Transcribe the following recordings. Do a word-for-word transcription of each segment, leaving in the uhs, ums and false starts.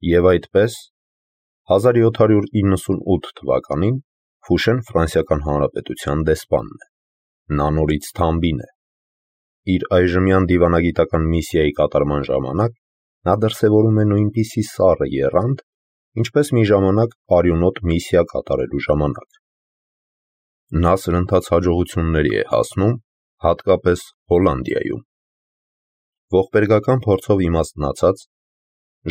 Եվ այդպես, հազար յոթ հարյուր իննսունութ թվականին Ֆուշեն Ֆրանսիական Հանրապետության դեսպանն է, նա նորից թամբին է։ Իր այժմյան դիվանագիտական միսիայի կատարման ժամանակ նա դրսևորում է նույնպիսի սառը եռանդ, ինչպես մի ժամանակ արյունոտ միսիա կատարելու ժամանակ։ Նա սրընթաց հաջողությունների է հասնում, հատկապես Հոլանդիայում։ Ողբերգական փորձով իմաստնացած,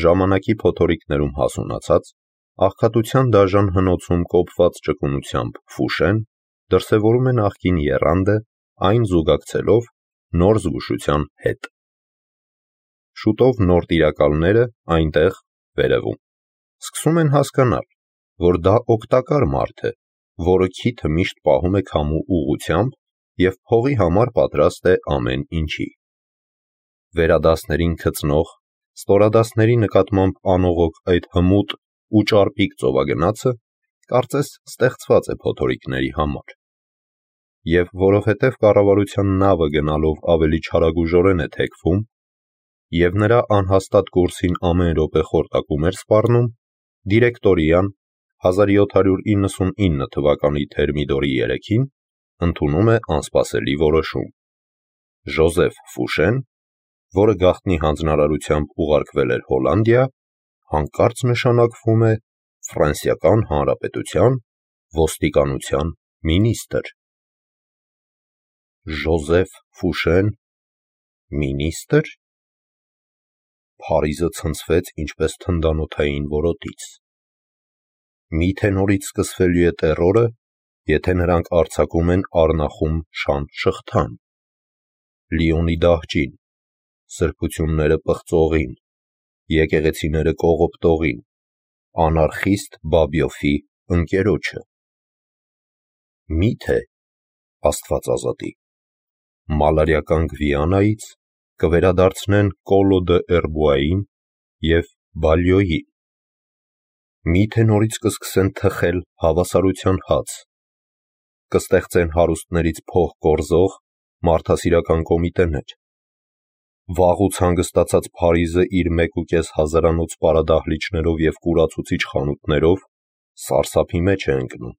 ժամանակի փոթորիկներում հասունացած, աղքատության դաժան հնոցում կոփված ճկունությամբ Ֆուշեն դրսևորում է նախկին եռանդը, այն զուգակցելով նոր զգուշության հետ։ Շուտով նոր տիրակալները այնտեղ վերևում սկսում են հասկանալ, որ դա օգտակար մարդ է, որը քիթը միշտ պահում է քամու ուղղությամբ և փողի համար պատրաստ է ամեն ինչի։ Վերադասներին գծնող, ստորադասների նկատմամբ անողոք այդ հմուտ ու ճարպիկ ծովագնացը կարծես ստեղծված է փոթորիկների համար։ Եվ որովհետև կառավարության նավը գնալով ավելի չարագուժորեն է թեքվում, և նրա անհաստատ կուրսին ամեն րոպե խորտակում էր սպառնում, դիրեկտորիան հազար յոթ հարյուր իննսունինը թվականի թերմիդորի երեքին ընդունում է անսպասելի որոշում։ Ժոզեֆ Ֆուշեն, որը գաղտնի հանձնարարությամբ ուղարկվել էր Հոլանդիա, հանկարծ նշանակվում է Ֆրանսիական Հանրապետության ոստիկանության մինիստրը։ Ժոզեֆ Ֆուշեն մինիստրը։ Փարիզը ցնցվեց ինչպես թնդանոթային որոտից։ Միթե նորից սկսվելու է տերորը, եթե նրանք արձակում են առնախում շան շղթան, Լիոնի դահճին, սրբությունները պղծողին, եկեղեցիները կողոպտողին, անարխիստ Բաբյոֆի ընկերոջը։ Միթե, Աստված ազատի, մալարիական Գվիանայից կվերադարձնեն Կոլո դը Էրբուային և Բալյոյին։ Միթե նորից կսկսեն թխել հավասարության հաց, կստեղծեն հարուստներից փող կորզող մարդասիրական կոմիտեներ։ Վաղուց հանգստացած Փարիզը իր մեկուկես հազարանոց պարադահլիճներով և կուրացուցիչ խանութներով սարսափի մեջ է ընկնում։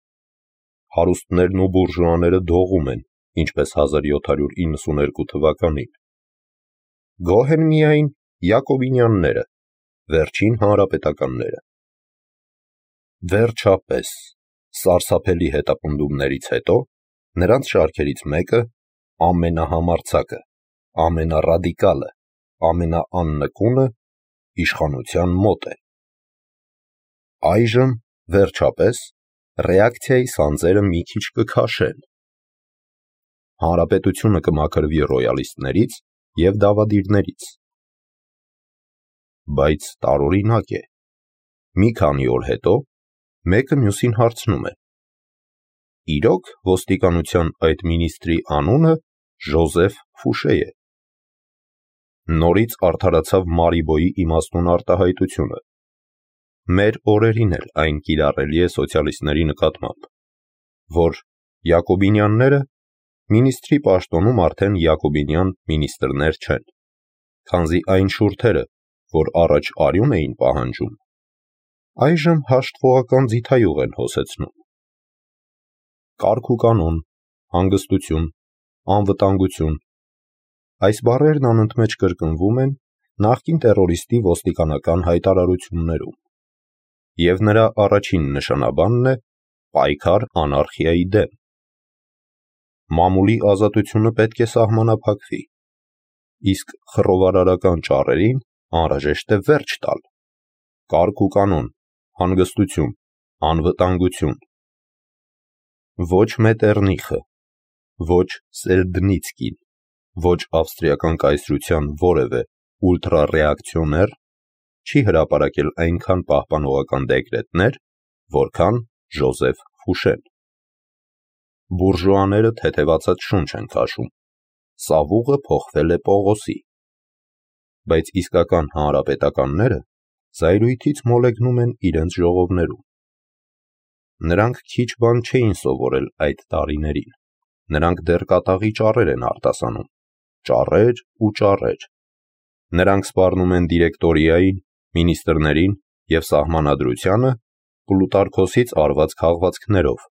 Հարուստներն ու բուրժուաները դողում են, ինչպես հազար յոթ հարյուր իննսուներկու թվականին։ Գոհ են միայն Յակոբինյանները, վերջին հանրապետականները։ Վերջապես, սարսափելի հետապնդումներից հետո, նրանց շարքերից մեկը, ամենահամարձակը, ամենառադիկալը, ամենաաննկունը իշխանության մոտ է։ Այժմ, վերջապես, ռեակցիայի սանձերը մի քիչ կքաշեն։ Հանրապետությունը կմաքրվի ռոյալիստներից և դավադիրներից։ Բայց տարօրինակ է, մի քանի օր հետո մեկը մյուսին հարցնում է. իրոք ոստիկանության այդ մինիստրի անունը Ժոզեֆ Ֆուշե է։ Նորից արդարացավ Մարիբոյի իմաստուն արտահայտությունը։ Մեր օրերին էլ այն կիրառելի է սոցիալիստների նկատմամբ, որ Յակոբինյանները մինիստրի պաշտոնում արդեն յակոբինյան մինիստրներ չեն, քանզի այն շուրթերը, որ առաջ արյուն էին պահանջում, այժմ հաշտվողական ձիթայուղ են հոսեցնում։ Կարգ ու կանոն, հանգստություն, անվտանգություն, այս բառերն անընդմեջ կրկնվում են նախկին տերորիստի ոստիկանական հայտարարություններում, և նրա առաջին նշանաբանն է պայքար անարխիայի դեմ։ Մամուլի ազատությունը պետք է սահմանափակվի, իսկ խռովարարական ճառերին անհրաժեշտ է վերջ տալ։ Կարգ ու կանոն, հանգստություն, անվտանգություն։ Ոչ Մետերնիխը, ոչ Սելդնիցկին, ոչ ավստրիական կայսրության որևէ ուլտրառեակցիոներ չի հրապարակել այնքան պահպանողական դեկրետներ, որքան Ժոզեֆ Ֆուշեն։ Բուրժուաները թեթևացած շունչ են քաշում, սավուղը փոխվել է Պողոսի։ Բայց իսկական հանրապետականները զայրույթից մոլեգնում են իրենց ժողովներում։ Նրանք քիչ բան չէին սովորել այդ տարիներին, նրանք դեռ կատաղի ճառեր են արտասանում, ճառեր ու ճառեր։ Նրանք սպառնում են դիրեկտորիային, մինիստրներին, և սահմանադրությանը Պլուտարքոսից արված քաղվածքներով։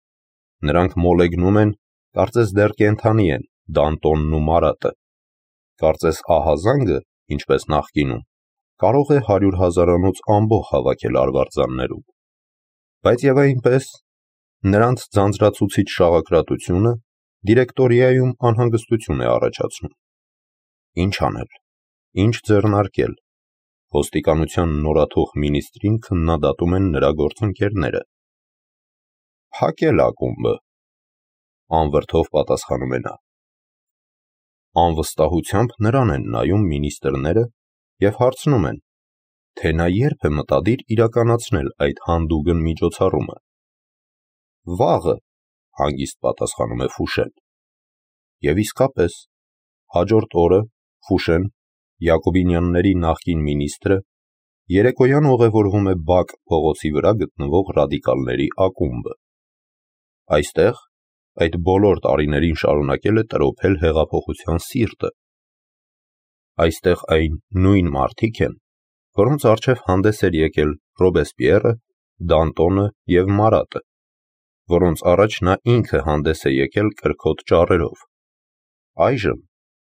Նրանք մոլեգնում են, կարծես դեռ կենդանի են Դանտոնն ու Մարատը։ Կարծես ահազանգը, ինչպես նախկինում, կարող է հարյուր հազարանոց ամբոխ հավաքել արվարձաններում։ Բայց և այնպես, նրանց ձանձրացուցիչ շաղակրատությունը դիրեկտորիայում անհանգստություն է առաջացնում։ Ինչ անել, ինչ ձեռնարկել։ Ոստիկանության նորաթող մինիստրին քննադատում են նրա գործընկերները։ Փակել ակումբը, անվրդով պատասխանում է նա։ Անվստահությամբ նրան են նայում մինիստրները և հարցնում են, թե նա երբ է մտադիր իրականացնել այդ հանդուգն միջոցառումը։ Վաղը, հանգիստ պատասխանում է Ֆուշեն։ Եվ իսկապես, հաջորդ օրը Ֆուշեն, Յակոբինյանների նախկին մինիստրը, երեկոյան ուղևորվում է Բաք փողոցի վրա գտնվող ռադիկալների ակումբը։ Այստեղ այդ բոլոր տարիներին շարունակել է տրոփել հեղափոխության սիրտը։ Այստեղ այն նույն մարդիկ են, որոնց առջև հանդես էր եկել Ռոբեսպիերը, Դանտոնը և Մարատը, որոնց առաջ նա ինքը հանդես է եկել կրքոտ ճառերով։ Այժմ,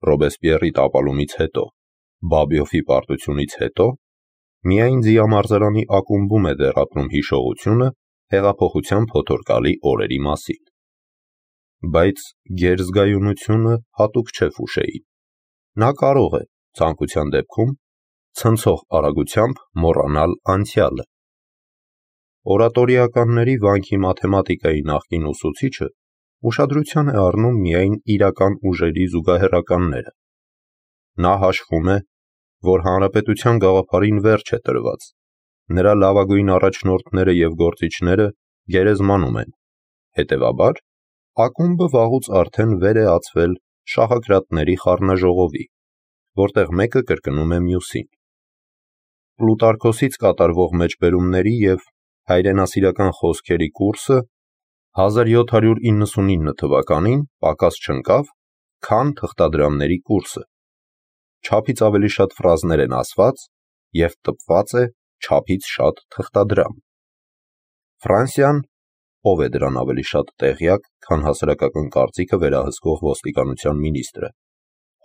Ռոբեսպիերի տապալումից հետո, Բաբյոֆի պարտությունից հետո, միայն Ձիամարզարանի ակումբում է դեռ ապրում հիշողությունը հեղափոխության փոթորկալի օրերի մասին։ Բայց գերզգայունությունը հատուկ չէ Ֆուշեին։ Նա կարող է, ցանկության դեպքում, ցնցող արագությամբ մոռանալ անցյալը։ Օրատորիականների վանքի մաթեմատիկայի նախկին ուսուցիչը ուշադրության է առնում միայն իրական ուժերի զուգահեռականները։ Նա հաշվում է, որ հանրապետության գաղափարին վերջ է տրված, նրա լավագույն առաջնորդները և գործիչները գերեզմանում են, հետևաբար, ակումբը վաղուց արդեն վեր է ածվել շահակրատների խառնաժողովի, որտեղ մեկը կրկնում է մյուսին։ Պլուտարքոսից կատարվող մեջբերումների և հայրենասիրական խոսքերի կուրսը հազար յոթ հարյուր իննսունինը թվականին պակաս չընկավ, քան թղթադրամների կուրսը։ Չափից ավելի շատ ֆրազներ են ասված և տպված է չափից շատ թղթադրամ։ Ֆրանսիան, ով է դրան ավելի շատ տեղյակ, քան հասարակական կարծիքը վերահսկող ոստիկանության մինիստրը,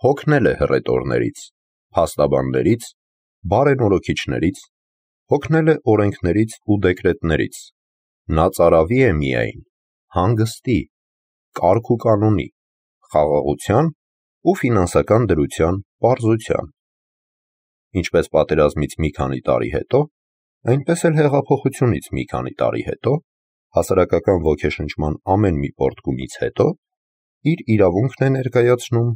հոգնել է հռետորներից, փաստաբաններից, բարենորոգիչներից, հոգնել է օրենքներից ու դեկրետներից։ Նա ծարավի է միայն հանգստի, կարգ ու կանոնի, խաղաղության ու ֆինանսական դրության պարզության։ Ինչպես պատերազմից մի քանի տարի հետո, այնպես էլ հեղափոխությունից մի քանի տարի հետո, հասարակական ոգեշնչման ամեն մի պոռթկումից հետո, իր իրավունքն է ներկայացնում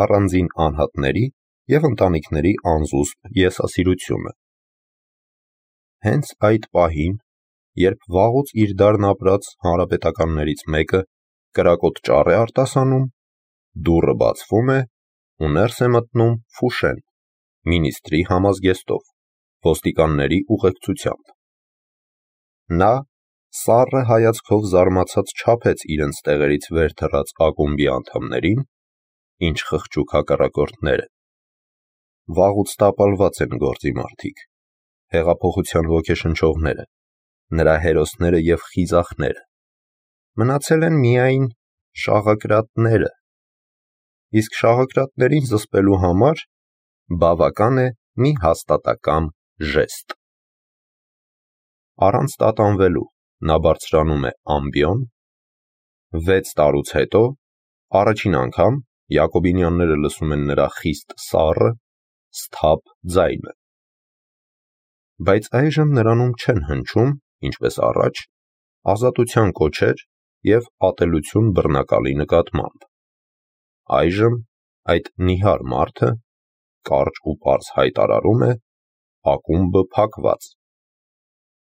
առանձին անհատների և ընտանիքների անզուսպ եսասիրությունը։ Հենց այդ պահին, երբ վաղուց իր դարն ապրած հանրապետականներից մեկը կրակոտ ճառ է արտասանում, դուռը բացվում է, ու ներս է մտնում Ֆուշեն, մինիստրի համազգեստով, ոստիկանների ուղեկցությամբ։ Նա սառը հայացքով զարմացած չափեց իրենց տեղերից վեր թռած ակումբի անդամներին, ինչ խղճուկ հակառակորդներ են։ Վաղուց տապալված են գործի մարդիկ, հեղափոխության ոգեշնչողները, նրա հերոսները և խիզախները։ Մնացել են միայն շաղակրատները, իսկ շաղակրատներին զսպելու համար բավական է մի հաստատակամ ժեստ։ Առանց տատանվելու նա բարձրանում է ամբիոն։ Վեց տարուց հետո, առաջին անգամ Յակոբինյանները լսում են նրա խիստ սառը, սթափ ձայնը։ Բայց այժմ նրանում չեն հնչում, ինչպես առաջ, ազատության կոչեր և ատելություն բռնակալի նկատմամբ։ Այժմ այդ նիհար մարդը կարճ ու պարզ հայտարարում է. ակումբը փակված։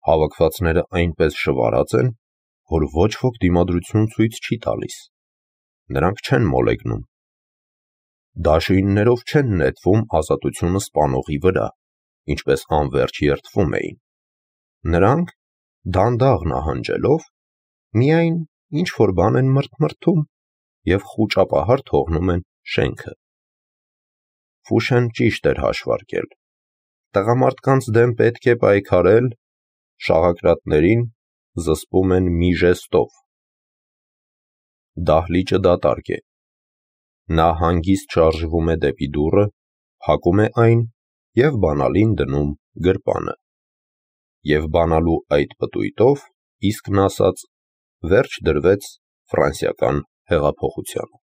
Հավաքվածները այնպես շվարած են, որ ոչ ոք դիմադրություն ցույց չի տալիս։ Նրանք չեն մոլեգնում։ Դաշույններով չեն նետվում ազատությունը սպանողի վրա, ինչպես անվերջ երդվում էին։ Նրանք, դանդաղ նահանջելով, միայն ինչ-որ բան են մրթմրթում և խուճապահար թողնում են շենքը։ Ֆուշեն ճիշտ էր հաշվարկել. տղամարդկանց դեմ պետք է պայքարել շաղակրատներին զսպում են մի ժեստով։ Դահլիճը դատարկ է։ Նա հանգիստ շարժվում է դեպի դուռը, փակում է այն և բանալին դնում գրպանը։ Եվ բանալու այդ պտույտով, իսկն ասած, վերջ դրվեց ֆրանսիական հեղափոխությանը։